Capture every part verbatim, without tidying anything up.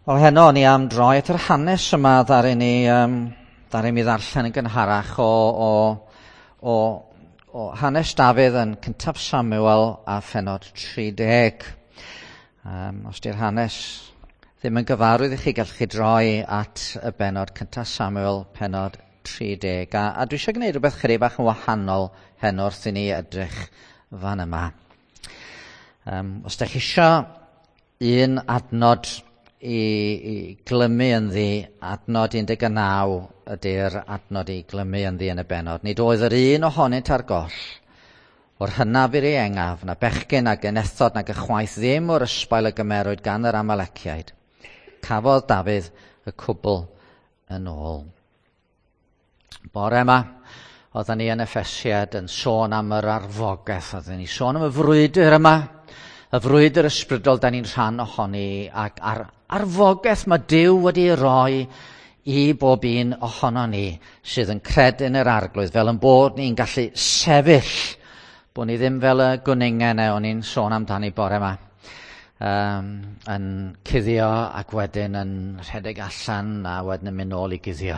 Wel, heno ni am droi at yr hanes yma ddaru ni, um, ddaru mi ddarllen yn gynharach o, o, o, o hanes Dafydd yn cyntaf Samuel a phenod tri deg. Um, os di'r hanes ddim yn gyfarwydd i chi, gallwch chi droi at y benod cyntaf Samuel, penod tri deg. A, a dwi eisiau gwneud rhywbeth chydig bach yn wahanol heno wrth i ni edrych fan yma. Um, os da chi eisiau un adnod i, i glymu ynddi, adnod un deg naw ydy'r adnod i glymu ynddi yn y benod. Nid oedd yr un ohonynt ar goll, o'r hynaf i'r ieuengaf, na bechgyn nag genethod nag ychwaith ddim o'r ysbail y gymerwyd gan yr Amaleciaid. Cafodd Dafydd y cwbl yn ôl. Bore yma, oedden ni yn Effesiad yn sôn am yr arfogaeth, oedden ni sôn am y frwydr yma, y frwydr ysbrydol da ni'n rhan ohoni, ac ar arfogaeth mae Duw wedi roi i bob un ohono ni sydd yn credu yn yr Arglwydd, fel yn bod ni'n gallu sefyll, bod ni ddim fel y gwningen e o'n i'n sôn amdani bore yma, um, yn cuddio ac wedyn yn rhedeg allan a wedyn yn mynd nôl i guddio.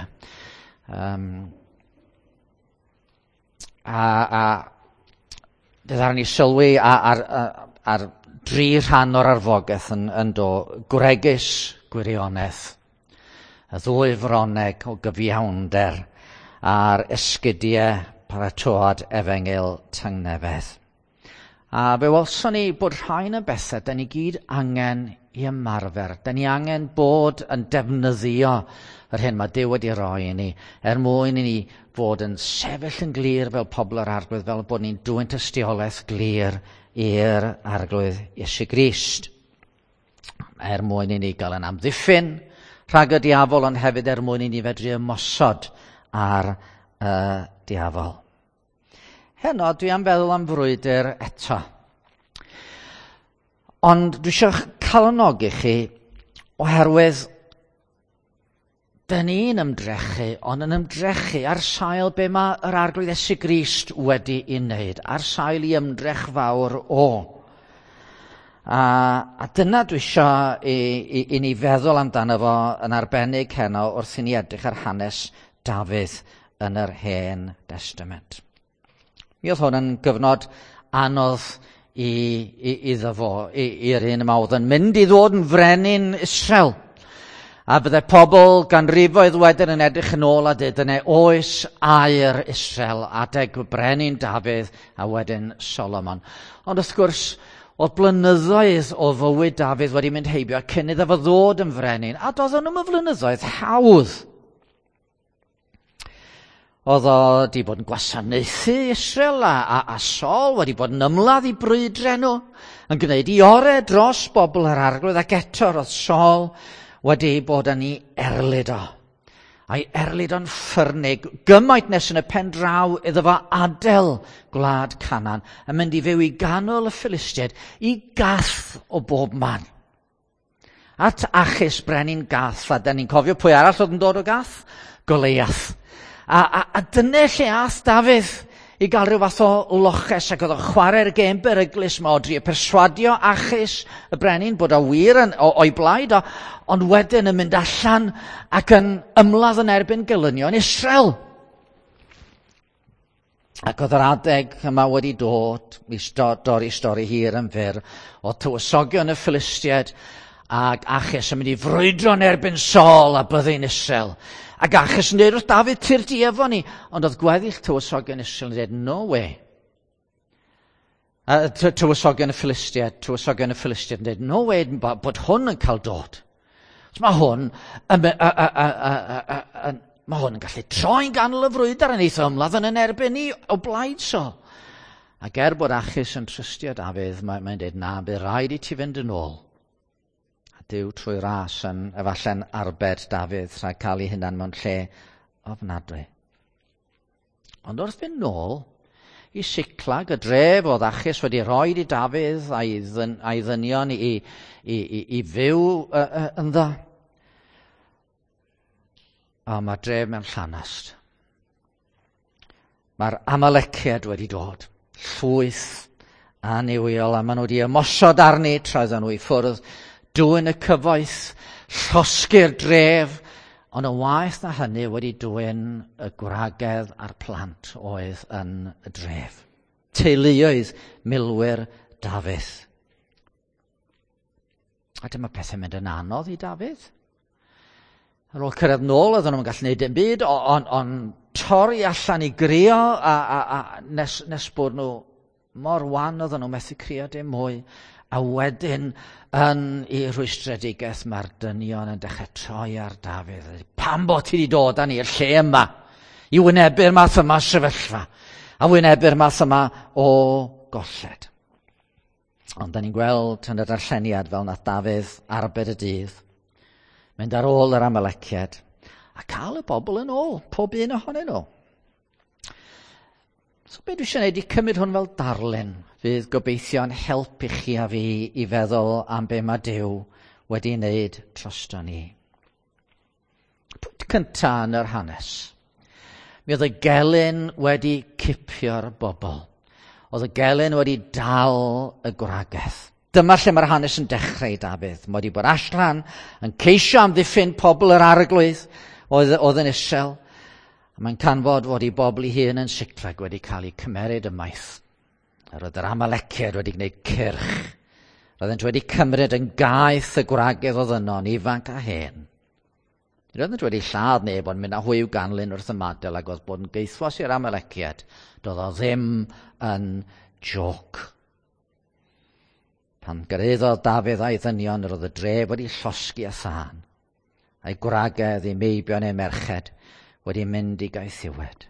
Um, a, a ddaru ni sylwi ar, ar, ar, ar dri rhan o'r arfogaeth yn, yn do, gwregys gwirionedd, y ddwy froneg o gyfiawnder a'r esgidiau paratoad efengyl tangnefedd. A fe welson ni bod rhain yn bethau da ni gyd angen i ymarfer. Da ni angen bod yn defnyddio yr hyn mae Duw wedi roi i ni, er mwyn i ni fod yn sefyll yn glir fel pobl yr Arglwydd, fel bod ni'n dwyn tystiolaeth glir i'r Arglwydd Iesu Grist. Er mwyn i ni gael yn amddiffyn rhag y diafol, ond hefyd er mwyn i ni fedru ymosod ar y diafol. Heno, dwi am feddwl am frwydr eto. Ond dwi eisiau calonogi chi oherwydd dyn ni'n ymdrechu, ond yn ymdrechu ar sail be mae yr Arglwydd Iesu Grist wedi ei wneud, ar sail i ymdrech fawr o. A, a dyna dwi eisiau i, i, i ni feddwl amdano fo yn arbennig heno wrth i ni edrych ar hanes Dafydd yn yr Hen Testament. Mi oedd hwn yn gyfnod anodd i, i, iddo fo, i'r un yma oedd yn mynd i ddod yn frenin Israel. A bydde pobl ganrifoedd wedyn yn edrych yn ôl a dweud, dyna oes aur Israel, adeg brenin Dafydd a wedyn Solomon. Ond wrth gwrs, oedd blynyddoedd o fywyd Dafydd wedi mynd heibio cyn iddo fo ddod yn frenin, a doedd nhw'm yn flynyddoedd hawdd. Oedd o wedi bod yn gwasanaethu Israel a, a, a Saul wedi bod yn ymladd i brwydre nhw, yn gwneud i orau dros bobl yr Arglwydd, ac eto roedd Saul wedi bod yn ei erlid o. A'i erlid o'n ffyrnig, gymaint nes yn y pen draw iddo fo adael gwlad Canaan, yn mynd i fyw i ganol y Philistiaid, i Gath o bob man. At Achis brenin Gath, a da ni'n cofio pwy arall oedd yn dod o Gath? Goliath. A, a, a dyna lle ath Dafydd i gael rhyw fath o loches, ac oedd o'n chwarae'r gêm beryglus yma o drio perswadio Achis y brenin bod o wir yn, o, o'i blaid o, ond wedyn yn mynd allan ac yn ymladd yn erbyn gelynion Israel. Ac oedd yr adeg yma wedi dod, i dorri stori hir yn fyr, o tywysogion y Philistiaid ac Achis yn mynd i frwydro yn erbyn Saul a byddin Israel. Ac Achis yn dweud wrth Dafydd, tyrd di efo ni. Ond oedd gweddill tywysogion Israel yn dweud, no way. A tywysogion y Philistiaid, tywysogion y Philistiaid yn dweud, no way bod hwn yn cael dod. So mae hwn yn, a, a, a, a, a, a, mae hwn yn gallu troi'n ganol y frwydr yn eitha ymladd yn yn erbyn ni o blaid Saul. Ac er bod Achis yn trystio Dafydd, mae'n mae dweud, na, bydd rhaid i ti fynd yn ôl. Duw trwy ras yn efallai'n arbed Dafydd rhag cael ei hunan mewn lle ofnadwy. Ond wrth fynd nôl i Siclag, y dref oedd Achis wedi rhoi i Dafydd a'i, ddyn, a'i ddynion i, i, i, i fyw uh, uh, ynddo. A mae dref mewn llanast. Mae'r Amaleciaid wedi dod, llwyth annuwiol, a maen nhw wedi ymosod arni tra oedden nhw i ffwrdd, dwyn y cyfoeth, llosgi'r dref, ond yn waeth na hynny wedi dwyn y gwragedd a'r plant oedd yn y dref. Teuluoedd milwyr Dafydd. A dyma pethau'n mynd yn anodd i Dafydd. Ar ôl cyrraedd nôl, oedden nhw'n gallu gwneud dim byd, ond on, torri allan i grio a, a, a nes, nes bod nhw mor wan oedden nhw methu crio dim mwy. A wedyn yn ei rhwystredigaeth mae'r dynion yn dechrau troi ar Dafydd. Pam bod ti wedi dod â ni i'r lle yma? I wynebu'r math yma sefyllfa. A wynebu'r math yma o golled. Ond da ni'n gweld yn y darlleniad fel nath Dafydd arbed y dydd. Mynd ar ôl yr Amaleciaid a cael y bobl yn ôl, pob un ohonyn nhw. So be dwi eisiau gwneud i cymryd hwn fel darlun fydd gobeithio'n help i chi a fi i feddwl am be mae Duw wedi wneud drosto ni. Pwynt cyntaf yn yr hanes. Mi oedd y gelyn wedi cipio'r bobl. Oedd y gelyn wedi dal y gwragedd. Dyma lle mae'r hanes yn dechrau i Dafydd. Mae wedi bod allan yn ceisio amddiffyn pobl yr arglwydd oedd, oedd yn isel. A mae'n canfod fod ei bobl ei hun yn Siclag wedi cael eu cymeryd ymaith. A roedd yr Amaleciaid wedi gwneud cyrch. Roeddent wedi cymryd yn gaeth y gwragedd oedd yno, yn ifanc a hen. Roeddent wedi lladd neb, ond mynd â hwy i'w ganlyn wrth ymadael ac oedd bod yn gaethwas i'r Amaleciaid. Doedd o ddim yn joc. Pan gyrhaeddodd Dafydd a'i ddynion, roedd y dref wedi llosgi â thân. A'i gwragedd, ei meibion, ei merched wedi mynd i gaethiwed.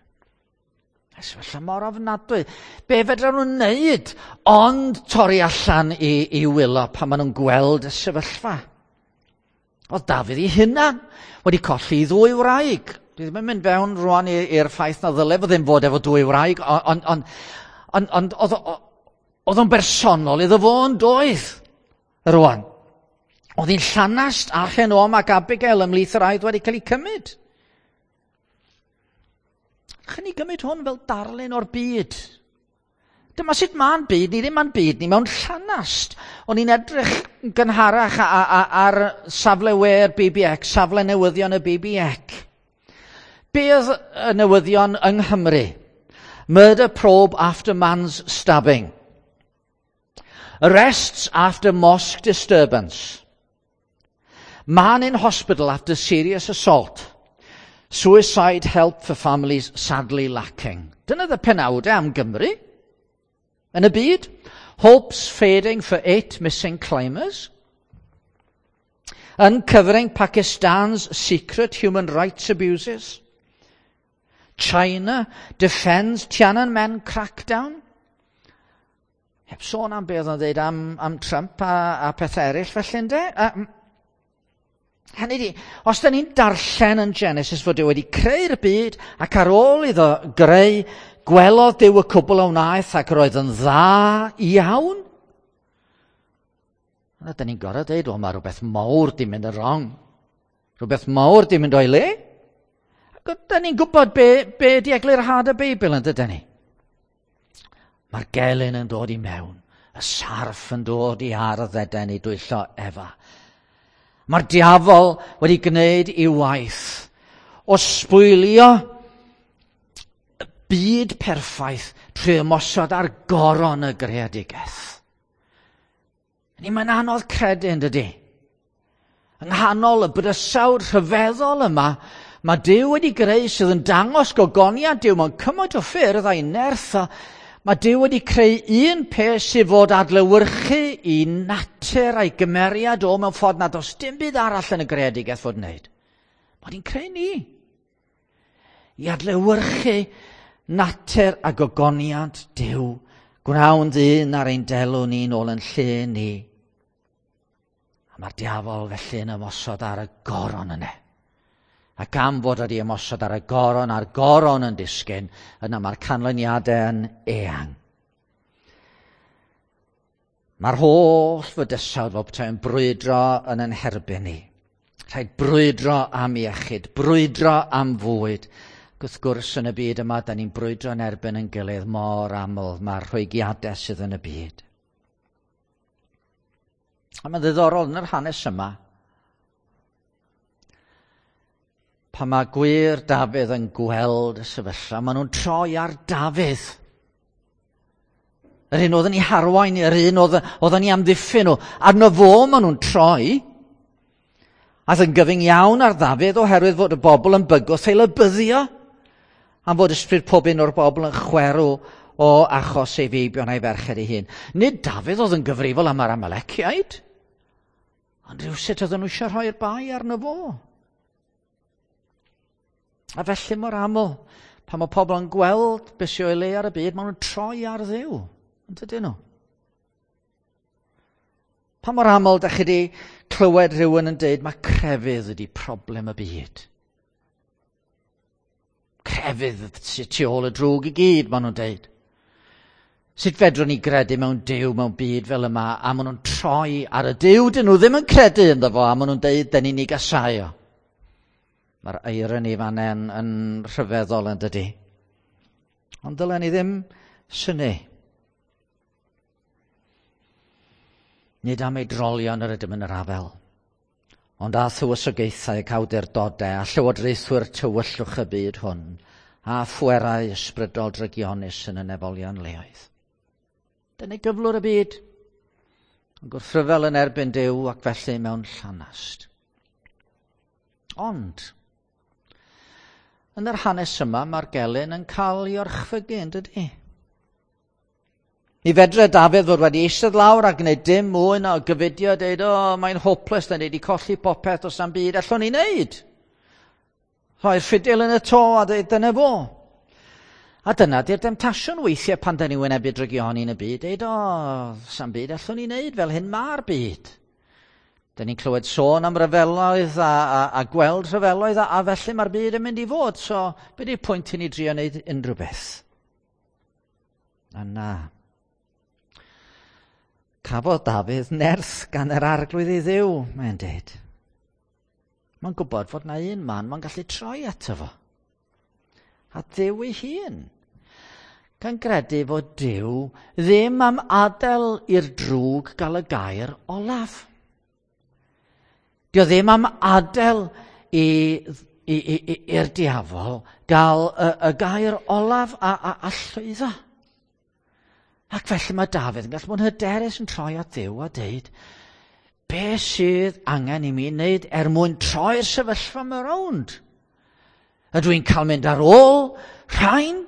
A sefyllfa mor ofnadwy. Be fedra nhw'n wneud ond torri allan i, i wylo pan maen nhw'n gweld y sefyllfa? Oedd Dafydd ei hunan wedi colli ei ddwy wraig. Dwi ddim yn mynd fewn rwan i'r ffaith na ddyle fo ddim fod efo dwy wraig, ond on, on, on, oedd oedd o'n bersonol iddo fo yn doedd rwan. Oedd hi'n llanast Ahinoam ac Abigail ymhlith yr oedd wedi cael eu cymryd. Chyn ni gymryd hwn fel darlun o'r byd. Dyma sut ma'n byd ni, ddim ma'n byd ni mewn llanast. O'n i'n edrych yn gynharach ar safle we'r B B C, safle newyddion y B B C. Be oedd y newyddion yng Nghymru? Murder probe after man's stabbing. Arrests after mosque disturbance. Man in hospital after serious assault. Suicide help for families sadly lacking. Dyna y penawdau am Gymru. Yn y byd, hopes fading for eight missing climbers. Uncovering Pakistan's secret human rights abuses. China defends Tiananmen crackdown. Heb sôn am beth oedd o'n dweud am, am Trump a, a pethau eraill felly ynde. Um, hynny di, os da ni'n darllen yn Genesis fod Duw wedi creu'r byd ac ar ôl iddo greu, gwelodd Duw y cwbl a wnaeth ac roedd yn dda iawn. Yna da ni'n gorfod dweud, o, mae rhywbeth mawr di mynd yn wrong. Rhywbeth mawr di mynd o'i le. Ac da ni'n gwybod be, be di eglurhad y Beibl yn dydyn ni. Mae'r gelyn yn dod i mewn. Y sarff yn dod i ardd Eden i dwyllo Efa. Mae'r diafol wedi gwneud ei waith o sbwylio byd perffaith trwy ymosod ar goron y greadigaeth. Ni mae'n anodd credu yn dydy. Yng nghanol y bydysawd rhyfeddol yma, mae Duw wedi greu sydd yn dangos gogoniant Duw mewn cymaint o ffyrdd a'i nerth. Mae Duw wedi creu un peth sydd fod adlewyrchu i natur a'i gymeriad o mewn ffordd nad oes dim byd arall yn y greadigaeth fod wneud. Mae wedi'n creu ni i adlewyrchu natur a gogoniant Duw. Gwnawn ddyn ar ein delw ni nôl yn lle ni. A mae'r diafol felly yn ymosod ar y goron yna. Ac am fod wedi ymosod ar y goron, a'r goron yn disgyn, yna mae'r canlyniadau yn eang. Mae'r holl fydysawd fel petai'n brwydro yn ein herbyn ni. Rhaid brwydro am iechyd, brwydro am fwyd. Ac wrth gwrs yn y byd yma, da ni'n brwydro yn erbyn yn gilydd mor aml, mae'r rhwygiadau sydd yn y byd. A mae'n ddiddorol yn yr hanes yma, Pan mae gwir Dafydd yn gweld y sefyllfa, maen nhw'n troi ar Dafydd. Yr un oedd yn ei harwain, yr un oedd, oedd yn ei amddiffyn nhw. Arno fo maen nhw'n troi. Aeth yn gyfyng iawn ar Ddafydd oherwydd fod y bobl yn bygwth ei lybyddio. Am fod ysbryd pob un o'r bobl yn chwerw o achos ei feibion a'i ferched ei hun. Nid Dafydd oedd yn gyfrifol am yr Amaleciaid, ond rhywsut oedden nhw eisiau rhoi'r bai arno fo. A felly mor aml, pan mae pobl yn gweld beth sy'n o'i le ar y byd, maen nhw'n troi ar Dduw, yn dydyn nhw? Pa mor aml da chi wedi clywed rhywun yn dweud mae crefydd ydi problem y byd? Crefydd sydd tu ôl y drwg i gyd, maen nhw'n dweud. Sut fedrwn ni gredu mewn Duw mewn byd fel yma, a maen nhw'n troi ar y Duw dyn nhw ddim yn credu ynddo fo, a maen nhw'n dweud dyn ni'n ei gasau o. Mae'r irony fan yn, yn rhyfeddol yn dydy. Ond dylen ni ddim synnu. Nid am ei drolion yr ydym yn yr afel, ond a thywysogaethau ac awdurdodau a llywodraethwyr tywyllwch y byd hwn, a phwerau ysbrydol drygionus yn y nefolion leoedd. Dyna gyflwr y byd, yn gwrthryfel yn erbyn Duw ac felly mewn llanast. Ond, yn yr hanes yma, mae'r gelyn yn cael ei orchfygu, yn dydy? Mi fedre Dafydd fod wedi eistedd lawr a gwneud dim mwy na gyfudio, dweud, o, oh, mae'n hopeless, da ni wedi colli popeth os am byd, allwn ni wneud. Rhoi'r ffidil yn y to a dweud, dyna fo. A dyna di'r demtasiwn weithiau pan da ni wynebu drygioni yn y byd, dweud, o, oh, sam byd allwn ni wneud, fel hyn mae'r byd. Da ni'n clywed sôn am ryfeloedd a, a, a gweld rhyfeloedd a, a felly mae'r byd yn mynd i fod, so be di'r pwynt i ni drio wneud unrhyw beth? A na. Cafodd Dafydd nerth gan yr arglwydd ei Dduw, mae'n dweud. Mae'n gwybod fod na un man mae'n gallu troi ato fo. A Duw ei hun. Gan gredu fod Duw ddim am adael i'r drwg gael y gair olaf. Dio ddim am adael i'r diafol gael y, y gair olaf a, a, a llwyddo. Ac felly mae Dafydd yn gallu bod yn hyderus yn troi at Dduw a deud, be sydd angen i mi wneud er mwyn troi'r sefyllfa yma rownd? Ydw i'n cael mynd ar ôl rhain?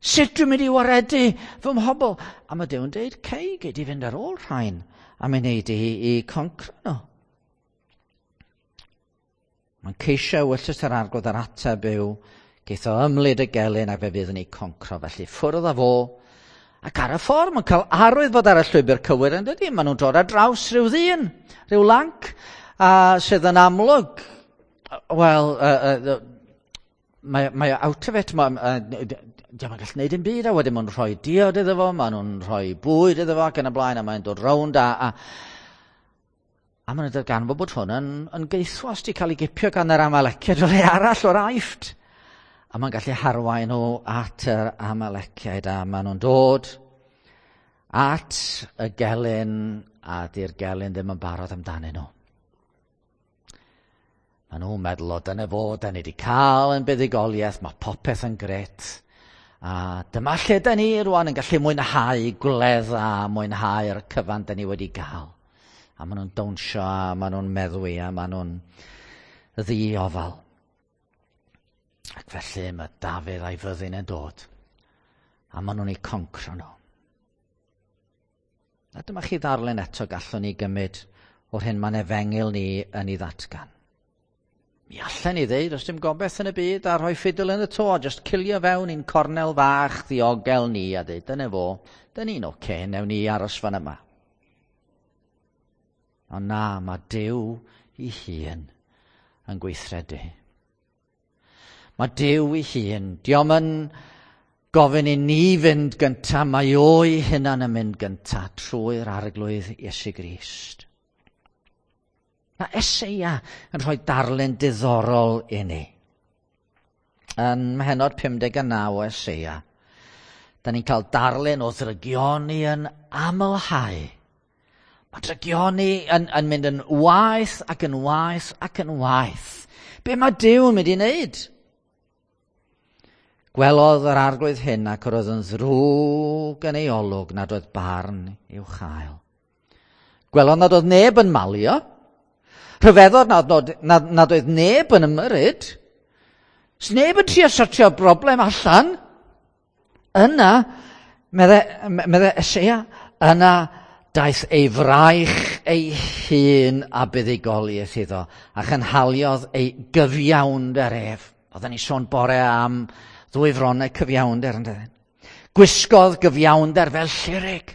Sut dwi'n mynd i waredu fy mhobl? A mae Duw yn deud, cei, gei di fynd ar ôl rhain a mi wneud i, i concro nhw. Mae'n ceisio ewyllys yr arglwydd ar ateb yw, geith o ymlid y gelyn ac fe fydd yn ei concro. Felly ffwrdd â fo, ac ar y ffordd mae'n cael arwydd fod ar y llwybr cywir yn dydy. Maen nhw'n dod ar draws rhyw ddyn, rhyw lanc, a sydd yn amlwg, wel, uh, uh, mae, mae out of it, mae, uh, dio'm yn gallu gwneud dim byd, a wedyn maen nhw'n rhoi diod iddo fo, maen nhw'n rhoi bwyd iddo fo ac yn y blaen, a mae'n dod rownd a, a A maen nhw'n darganfod bod hwn yn, yn geithwas wedi cael ei gipio gan yr Amaleciaid o le arall o'r Aifft. A mae'n gallu harwain nhw at yr Amaleciaid, a maen nhw'n dod at y gelyn, a di'r gelyn ddim yn barod amdanyn nhw. Maen nhw'n meddwl, o dyna fo, da ni wedi cael yn buddugoliaeth, mae popeth yn gret. A dyma lle da ni rwan yn gallu mwynhau gwledd a mwynhau'r cyfan da ni wedi gael. A maen nhw'n dawnsio, a maen nhw'n meddwi, a maen nhw'n ddiofal. Ac felly mae Dafydd a'i fyddin yn dod, a maen nhw'n eu concro nhw. A dyma chi ddarllen eto gallwn ni gymryd o'r hyn mae'n efengyl ni yn ei ddatgan. Mi allan ni ddeud, os dim gobeith yn y byd, a rhoi ffidil yn y to, a just cilio fewn i'n cornel fach ddiogel ni, a dweud, dyna fo, dyna ni'n oce, okay, newn ni aros fan yma. Ond na, mae Duw ei hun yn gweithredu. Mae Duw ei hun, dio'm yn gofyn i ni fynd gynta, mae o'i hunan yn mynd gynta trwy'r arglwydd Iesu Grist. Mae Eseia yn rhoi darlun diddorol i ni. Yn mhenod pum deg a naw o Eseia, da ni'n cael darlun o ddrygioni yn amlhau. Mae drygioni yn, yn mynd yn waeth ac yn waeth ac yn waeth. Be mae Duw yn mynd i wneud? Gwelodd yr arglwydd hyn ac yr oedd yn ddrwg yn ei olwg nad oedd barn i'w chael. Gwelodd nad oedd neb yn malio. Rhyfeddodd nad, nad, nad oedd neb yn ymyrryd. Sneb yn trio sortio broblem allan. Yna, medde, medde Eseia, yna daeth ei fraich ei hun a buddugoliaeth iddo, a chynhaliodd ei gyfiawnder ef. Oedden ni sôn bore am ddwy fronnau cyfiawnder, yndydyn. Gwisgodd gyfiawnder fel llurig.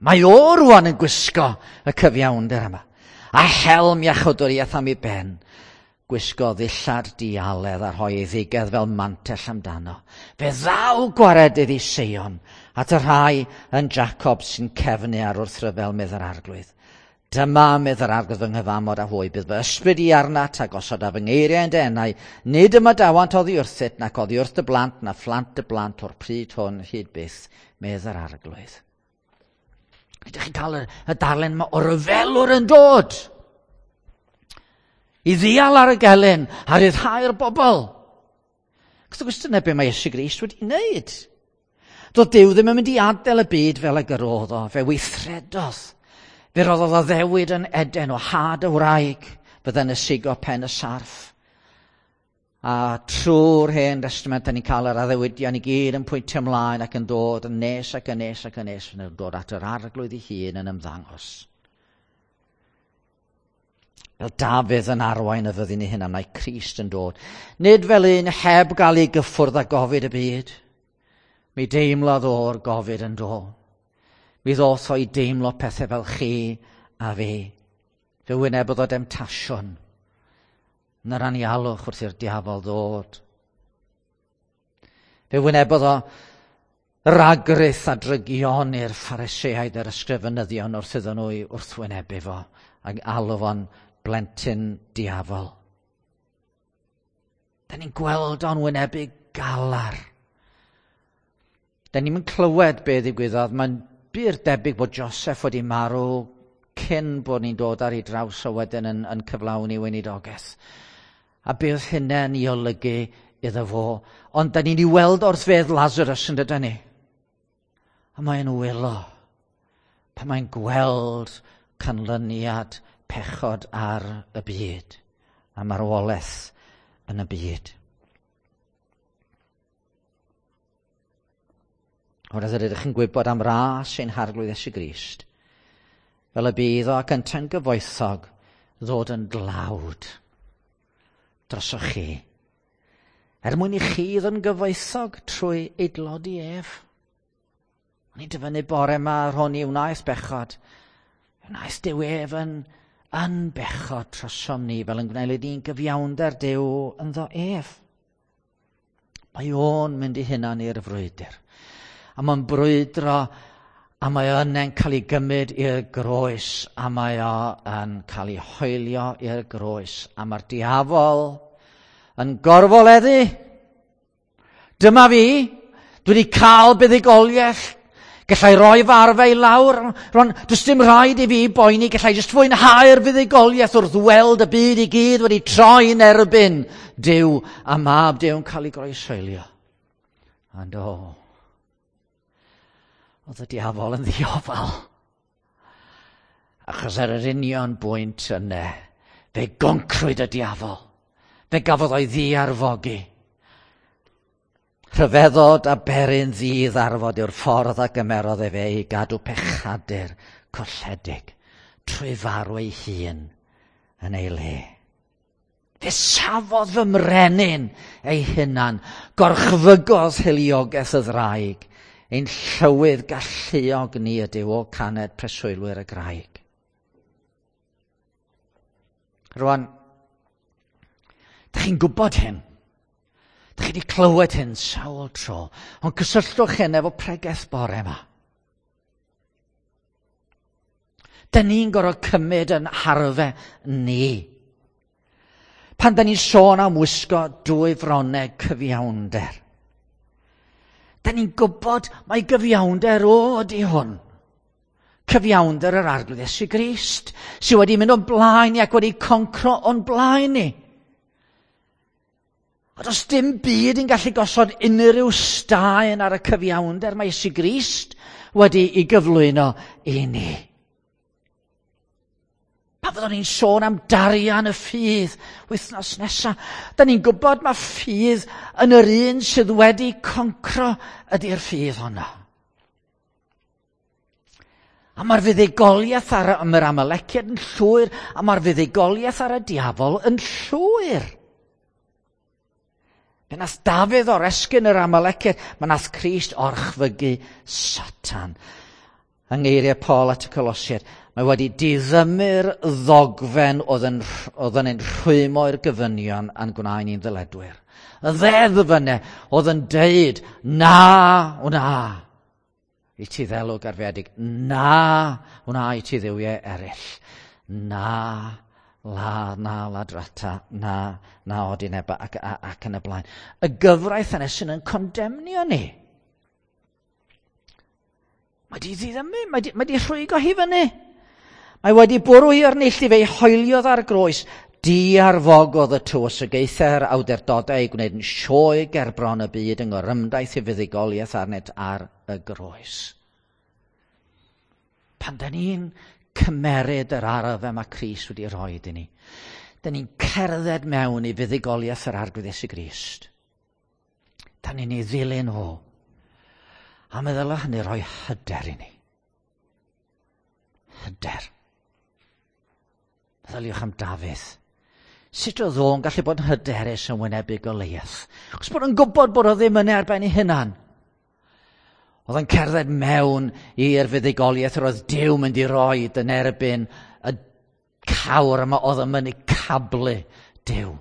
Mae o rwan yn gwisgo y cyfiawnder yma. A helm iachawdwriaeth am ei ben. Gwisgodd ddillad dialedd a rhoi ei ddigedd fel mantell amdano. Fe ddaw gwaredydd i Seion at y rhai yn Jacob sy'n cefnu ar wrthryfel, medd yr arglwydd. Dyma, medd yr arglwydd, fy nghyfamod â hwy, bydd fy ysbryd i arnat a gosod a fy ngeiriau yn dy enau. Nid ymadawant oddi wrthyt, nac oddi wrth dy blant, na phlant dy blant o'r pryd hwn hyd byth, medd yr arglwydd. Ydych chi'n cael y, y darlun yma o ryfelwr yn dod i ddial ar y gelyn a ryddhau'r bobl. Wrth gwrs dyna be mae Iesu Grist wedi wneud. Doedd Duw ddim yn mynd i adael y byd fel y gyrodd o, fe weithredodd. Fe roddodd addewid yn Eden o had y wraig fydde'n ysigo pen y sarff. A trwy'r Hen Destament, da ni'n cael yr addewidion i gyd yn pwyntio ymlaen ac yn dod yn nes ac yn nes ac yn nes, yn dod at yr arglwydd ei hun yn ymddangos. Fel Dafydd yn arwain y fyddin ei hunan, mae Crist yn dod. Nid fel un heb gael ei gyffwrdd â gofid y byd. Mi deimlodd o'r gofid yn dod. Mi ddoth o i deimlo pethau fel chi a fi. Fe wynebodd o demtasiwn. Yn yr anialwch wrth i'r diafol ddod. Fe wynebodd o ragrith a drygion i'r Phariseaid a'r ysgrifenyddion wrth iddyn nhw i wrthwynebu fo ac alw fo'n blentyn diafol. Da ni'n gweld o'n wynebu galar. Da ni'n clywed be ddigwyddodd. Mae'n bur debyg bod Joseph wedi marw cyn bod ni'n dod ar ei draws o wedyn yn, yn cyflawni weinidogaeth. A be oedd hynny'n ei olygu iddo fo. Ond da ni'n ei weld wrth fedd Lazarus yn dydyn ni. A mae'n wylo pan mae'n gweld canlyniad pechod ar y byd a marwolaeth yn y byd. Oherwydd yr ydych chi'n gwybod am ras ein harglwydd Iesu Grist, fel y bydd o ac yntau'n gyfoethog ddod yn dlawd drosoch chi, er mwyn i chi ddod yn gyfoethog trwy ei dlodi ef. O'n i'n dyfynnu bore yma yr hwn i wnaeth bechod. Wnaeth Duw ef yn, yn bechod trosom ni, fel yn gwneud ni'n gyfiawnder Duw ynddo ef. Mae o'n mynd i hunan i'r frwydr. A mae'n brwydro, a mae o'n cael ei gymryd i'r groes, a mae o'n cael ei hoelio i'r groes. A mae'r diafol yn gorfoleddu. Dyma fi, dwi wedi cael buddugoliaeth. Gallai roi fy arfau i lawr. Rwan, does dim rhaid i fi boeni, gallai jyst fwynhau'r fuddugoliaeth wrth weld y byd i gyd wedi troi'n erbyn Duw a mab Duw yn cael ei groeshoelio. And o, oedd y diafol yn ddiofal. Achos ar yr union bwynt yna, fe goncrwyd y diafol. Fe gafodd o'i ddiarfogi. Rhyfeddod a beryn ddi-ddarfod yw'r ffordd a gymerodd efe i gadw pechadur colledig trwy farw ei hun yn ei le. Fe safodd fy mrenin ei hunan, gorchfygodd hiliogaeth y ddraig, ein llywydd galluog ni ydyw o caned preswylwyr y graig. Rwan, dych chi'n gwybod hyn? Dych chi wedi clywed hyn sawl tro, ond cysylltwch hyn efo pregeth bore yma. Dyn ni'n gorfod cymryd yn harfe ni. Pan dyn ni'n sôn am wisgo dwy fronneg cyfiawnder, dyn ni'n gwybod mai gyfiawnder o ydi hwn. Cyfiawnder yr Arglwydd Iesu Grist, sydd wedi mynd o'n blaen ni ac wedi concro o'n blaen ni. A does dim byd yn gallu gosod unrhyw staen ar y cyfiawnder mae Iesu Grist wedi ei gyflwyno i ni. Pan fyddwn ni'n sôn am darian y ffydd wythnos nesaf, da ni'n gwybod mae ffydd yn yr un sydd wedi concro ydy'r ffydd honno. A mae'r fuddugoliaeth ar yr Amaleciaid yn llwyr, a mae'r fuddugoliaeth ar y diafol yn llwyr. Fe nath Dafydd oresgyn yr Amaleciaid, mae nath Crist orchfygu Satan. Yng ngeiriau Paul at y Colosiaid, mae wedi diddymu'r ddogfen oedd yn, oedd yn ein rhwymo i'r gofynion a'n gwneud ni'n ddyledwyr. Y ddeddf yna oedd yn deud, na, wna, i ti ddelw garfiedig, na, wna i ti dduwiau eraill, na, la, na ladrata, na, na odineba, ac, ac, ac yn y blaen. Y gyfraith yna sy'n yn condemnio ni. Mae di ddiddymu, mae di, mae di rhwygo hi fyny. Mae wedi bwrw hi o'r neilltu, fe'i hoeliodd ar groes. Diarfogodd y tywysogaethau'r awdurdodau i gwneud yn sioe gerbron y byd yng ngorymdaith i fuddugoliaeth arnynt ar y groes. Pan da ni'n cymeryd yr arf yma Crist wedi rhoi i ni, da ni'n cerdded mewn i fuddugoliaeth yr Arglwydd Iesu Grist. Da ni'n ei ddilyn o. A meddwl hynny rhoi hyder i ni. Hyder. Meddyliwch am Dafydd. Sut oedd o'n gallu bod yn hyderus yn wynebu Goliath? Achos bod o'n gwybod bod o ddim yn ar ben ei hunan. Oedd yn cerdded mewn i'r fuddugoliaeth yr oedd Duw mynd i roi yn erbyn y cawr yma oedd yn mynd i cablu Duw.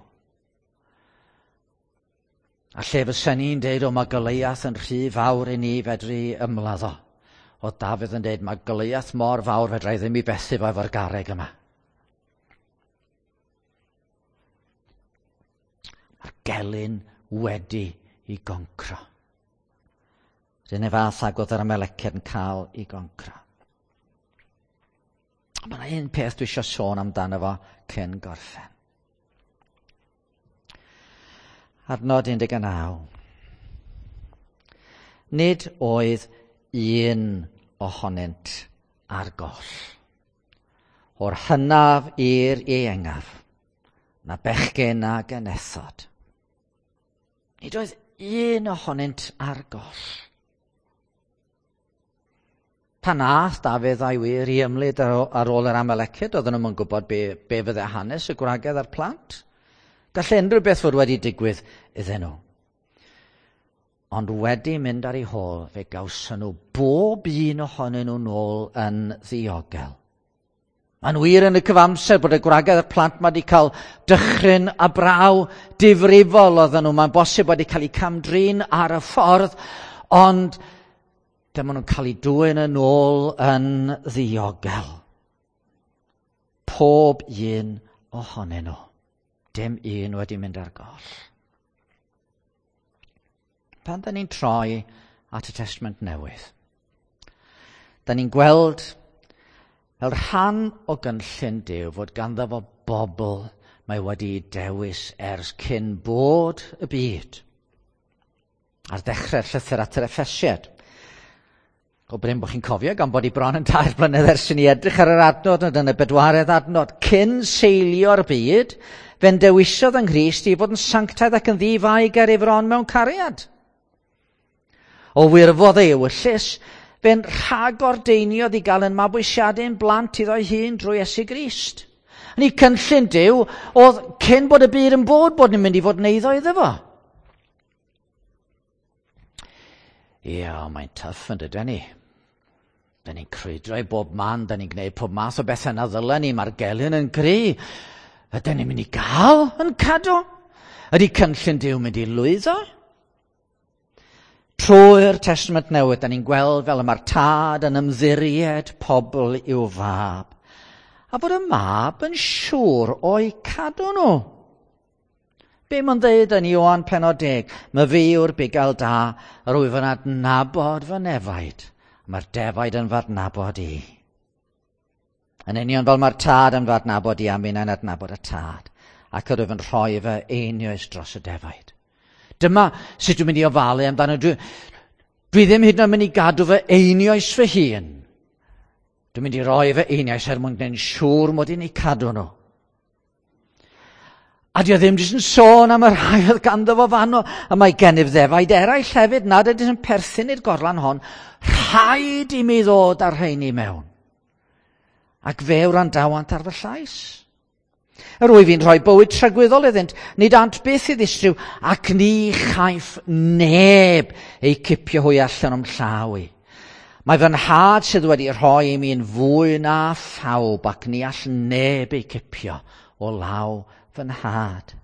A lle fysa ni'n deud, o mae Goliath yn rhy fawr i ni fedru ymladd o. Oedd Dafydd yn deud, mae Goliath mor fawr fedra i ddim i bethu fo efo'r garreg yma. Mae'r gelyn wedi i goncro. R'un fath ag oedd yr Amaleciaid yn cael i goncro. Ond mae yna un peth dwi eisiau sôn amdano fo cyn gorffen. Adnod un deg naw. Nid oedd un ohonynt ar goll. O'r hynaf i'r ieuengaf, na bechgyn na genethod. Nid oedd un ohonynt ar goll. Pan nath Dafydd a'i wir i ymlid ar ôl yr Amaleciaid, oedden nhw'n gwybod be, be fydde hanes y gwragedd a'r plant. Gallai unrhyw beth fod wedi digwydd iddyn nhw. Ond wedi mynd ar ei hôl, fe gawson nhw bob un ohonyn nhw nôl yn ddiogel. Mae'n wir yn y cyfamser bod y gwragedd a'r plant ma wedi cael dychryn a braw difrifol oedden nhw. Mae'n bosib wedi cael eu camdrin ar y ffordd, ond dyma nhw'n cael eu dwyn yn ôl yn ddiogel. Pob un ohonyn nhw. Dim un wedi mynd ar goll. Pan da ni'n troi at y Testament Newydd, da ni'n gweld fel rhan o gynllun Duw fod ganddo fo bobl mae wedi dewis ers cyn bod y byd. Ar ddechrau'r llythyr at yr Effesiaid, go brin bod chi'n cofio gan bod i bron yn tair blynedd ers i ni edrych ar yr adnod, ond yn y bedwaredd adnod, cyn seilio'r byd, fe'n dewisodd yng Nghrist i fod yn sanctaidd ac yn ddi-fai ger ei fron mewn cariad. O wirfodd ei ewyllys, fe'n rhagordeiniodd i gael yn mabwysiadu'n blant iddo'i hun drwy Iesu Grist. Yn ei cynllun Duw oedd cyn bod y byd yn bod, bod ni'n mynd i fod yn eiddo iddo fo. Ie, mae'n tough yn dydyn ni. Da ni'n crwydro i bob man, da ni'n gwneud pob math o bethau na ddylen ni, mae'r gelyn yn gry. Ydyn ni'n mynd i gael yn cadw? Ydy cynllun Duw mynd i lwyddo? Trwy'r Testament Newydd, da ni'n gweld fel y mae'r tad yn ymddiried pobl i'w fab. A bod y mab yn siŵr o'i cadw nhw. Be mae'n dweud yn Ioan pennod deg? Mae fi yw'r bugail da, yr wyf yn adnabod fy nefaid. Mae'r defaid yn fy adnabod i. Yn union fel mae'r tad yn fy adnabod i, a minnau'n adnabod y tad. Ac yr wyf yn rhoi fy einioes dros y defaid. Dyma sut dwi'n mynd i ofalu amdano. Dwi, dwi ddim hyd yn oed mynd i gadw fy einioes fy hun. Dwi'n mynd i roi fy einioes er mwyn gwneud yn siŵr mod i'n eu cadw nhw. A di o ddim jyst yn sôn am y rhai oedd ganddo fo fanno, a mae gennyf ddefaid eraill hefyd nad ydyn yn perthyn i'r gorlan hon. Rhaid i mi ddod â'r rheini mewn. Ac fe wrandawant ar fy llais. Yr wyf i'n rhoi bywyd tragwyddol iddynt, nid ant byth i ddistryw, ac ni chaiff neb eu cipio hwy allan o'm llaw i. Mae fy nhad sydd wedi rhoi i mi yn fwy na phawb, ac ni all neb eu cipio o law fy nhad.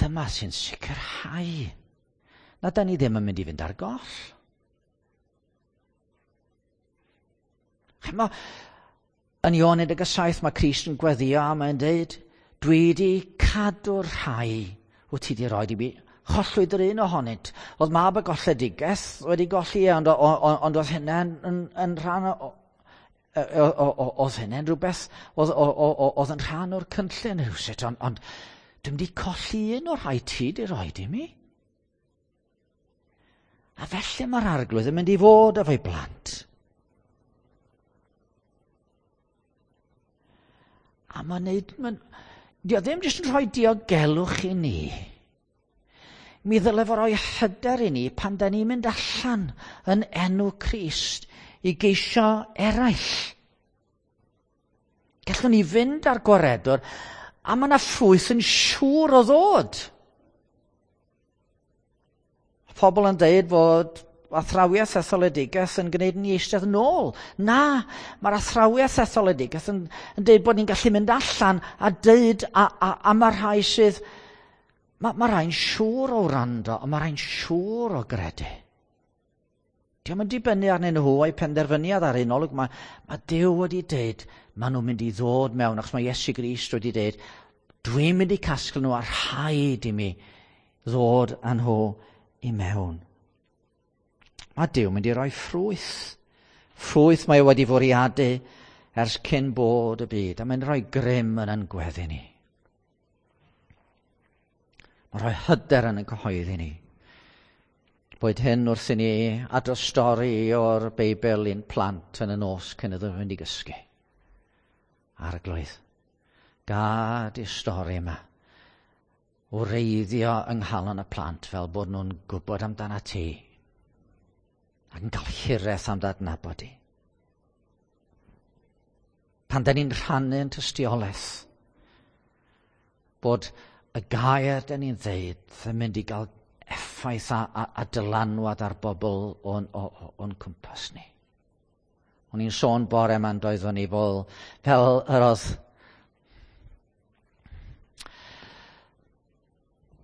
Dyma sy'n sicrhau na da ni ddim yn mynd i fynd ar goll. Chymod, yn Ioan un deg saith mae Crist yn gweddio a mae'n dweud, dwi wedi cadw'r rhai wyt ti wedi rhoi i mi. Chollwyd yr un ohonynt. Oedd mab y golledigaeth wedi golli, ond, ond oedd hynny'n yn, yn rhan o, oedd hynny'n rhywbeth, oedd, oedd yn rhan o'r cynllun rhywsut, ond, ond dwi'n wedi colli un o'r rhai ti wedi rhoi i mi. A felly mae'r Arglwydd yn mynd i fod efo'i blant. A mae'n neud, mae'n, dio ddim jyst yn rhoi diogelwch i ni. Mi ddyle fo roi hyder i ni pan da ni'n mynd allan yn enw Crist i geisio eraill. Gallwn ni fynd ar gwaredwr a mae yna ffrwyth yn siŵr o ddod. Pobl yn deud fod athrawiaeth etholedigaeth yn gwneud ni eistedd nôl. Na, mae'r athrawiaeth etholedigaeth yn, yn deud bod ni'n gallu mynd allan a deud a, a, a mae rhai sydd, mae, mae rhai'n siŵr o wrando, a mae rhai'n siŵr o gredu. Dio'm yn dibynnu arnyn nhw a'i penderfyniad ar un olwg. Mae, mae Duw wedi deud, maen nhw'n mynd i ddod mewn, achos mae Iesu Grist wedi deud, dwi'n mynd i casglu nhw a rhaid i mi ddod â nhw i mewn. Mae Duw mynd i roi ffrwyth. Ffrwyth mae o wedi fwriadu ers cyn bod y byd, a mae'n rhoi grym yn ein gweddi ni. Mae'n rhoi hyder yn ein cyhoeddi ni. Boed hyn wrth i ni adrodd stori o'r Beibl i'n plant yn y nos cyn iddyn nhw fynd i gysgu. Arglwydd, gad i'r stori yma wreiddio yng nghalon y plant fel bod nhw'n gwybod amdana ti ac yn cael hiraeth am ddadnabod i. Pan da ni'n rhannu'n tystiolaeth, bod y gair da ni'n ddeud yn mynd i gael effaith a, a, a dylanwad ar bobl o'n, o'n cwmpas ni. O'n i'n sôn bore yma'n doeddwn ni fel, fel yr oedd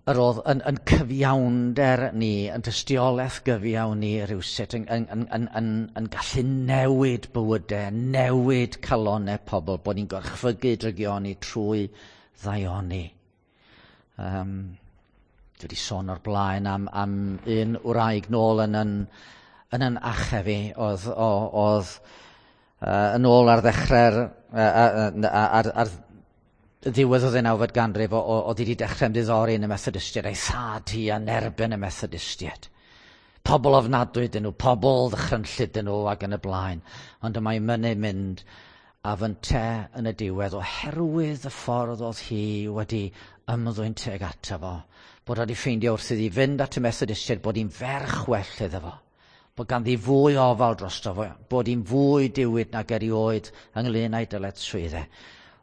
yr oedd yn, yn cyfiawnder ni, yn tystiolaeth gyfiawn ni rhywsut, yn, yn, yn, yn, yn, yn gallu newid bywydau, newid calonnau pobl, bod ni'n gorchfygu drygioni trwy ddaioni. Um, dwi wedi sôn o'r blaen am, am un wraig nôl yn yn, yn, yn achef i, oedd, oedd uh, yn ôl ar ddechrau'r, uh, ar, ar ddiwedd o ddeunawfed ganrif, oedd wedi dechrau ymddiddori yn y Methodistiaid, a'i thad hi yn erbyn y Methodistiaid. Pobl ofnadwy dyn nhw, pobl ddychrynllyd dyn nhw ac yn y blaen. Ond y mae mynnu mynd a fynte yn y diwedd oherwydd y ffordd oedd hi wedi ymddwyn tuag ato fo, bod wedi ffeindio wrth iddi fynd at y Methodistiaid bod hi'n ferch well iddo fo, bod ganddi fwy ofal drosto fo, bod hi'n fwy diwyd nag erioed ynglyn â'i dyletswyddau,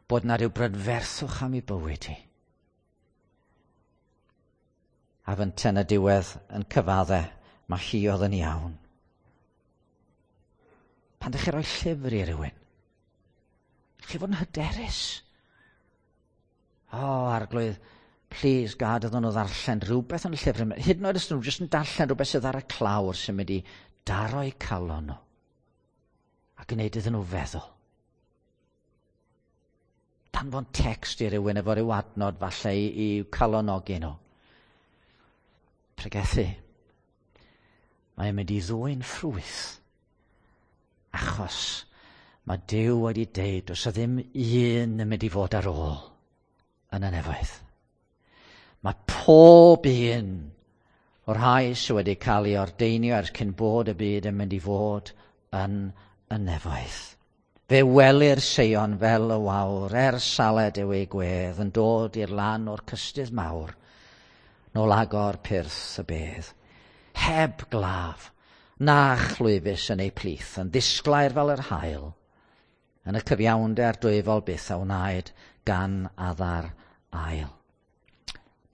bod na rhyw brydferthwch am ei bywyd hi. A fynte yn y diwedd yn cyfadde, mae hi oedd yn iawn. Pan ydych chi roi llyfr i rywun, chi fod yn hyderus. O, oh, Arglwydd, please gad iddyn nhw ddarllen rhywbeth yn y llyfr yma. Hyd yn oed os nhw jyst yn darllen rhywbeth sydd ar y clawr sy'n mynd i daro'u calon nhw a gwneud iddyn nhw feddwl. Danfon text i rywun efo ryw adnod falle i, i calonogi nhw. Pregethu. Mae'n mynd i ddwyn ffrwyth. Achos mae Duw wedi deud does 'na ddim un yn mynd i fod ar ôl. yn y nefoedd. Mae pob un o'r rhai sydd wedi cael ei ordeinio ers cyn bod y byd yn mynd i fod yn y nefoedd. Fe welir Seion fel y wawr, er saled yw ei gwedd, yn dod i'r lan o'r cystudd mawr, nôl agor pyrth y bedd. Heb glaf, na chlwyfus yn ei plith, yn ddisglair fel yr haul, yn y cyfiawnder dwyfol byth a wnaed gan Adda'r ail.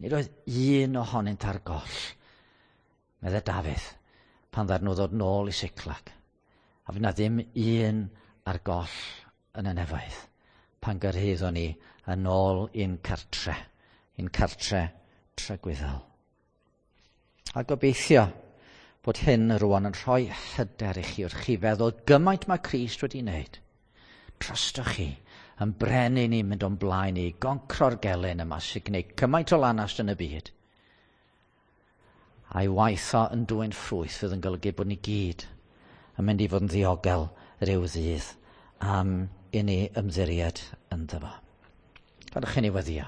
Nid oedd un ohonynt ar goll, meddai Dafydd, pan ddaru nhw ddod nôl i Siclag. A fydd na ddim un ar goll yn y nefoedd pan gyrhaeddwn ni yn ôl i'n cartre, i'n cartre tragwyddol. A gobeithio bod hyn rwan yn rhoi hyder i chi wrth chi feddwl gymaint mae Crist wedi wneud. Drostoch chi, yn brenin ni'n mynd o'n blaen i goncro'r gelyn yma sy'n gwneud cymaint o lanast yn y byd. A'i waith o yn dwyn ffrwyth fydd yn golygu bod ni gyd yn mynd i fod yn ddiogel rhyw ddydd am i ni ymddiried ynddo fo. Gadewch i ni weddïo.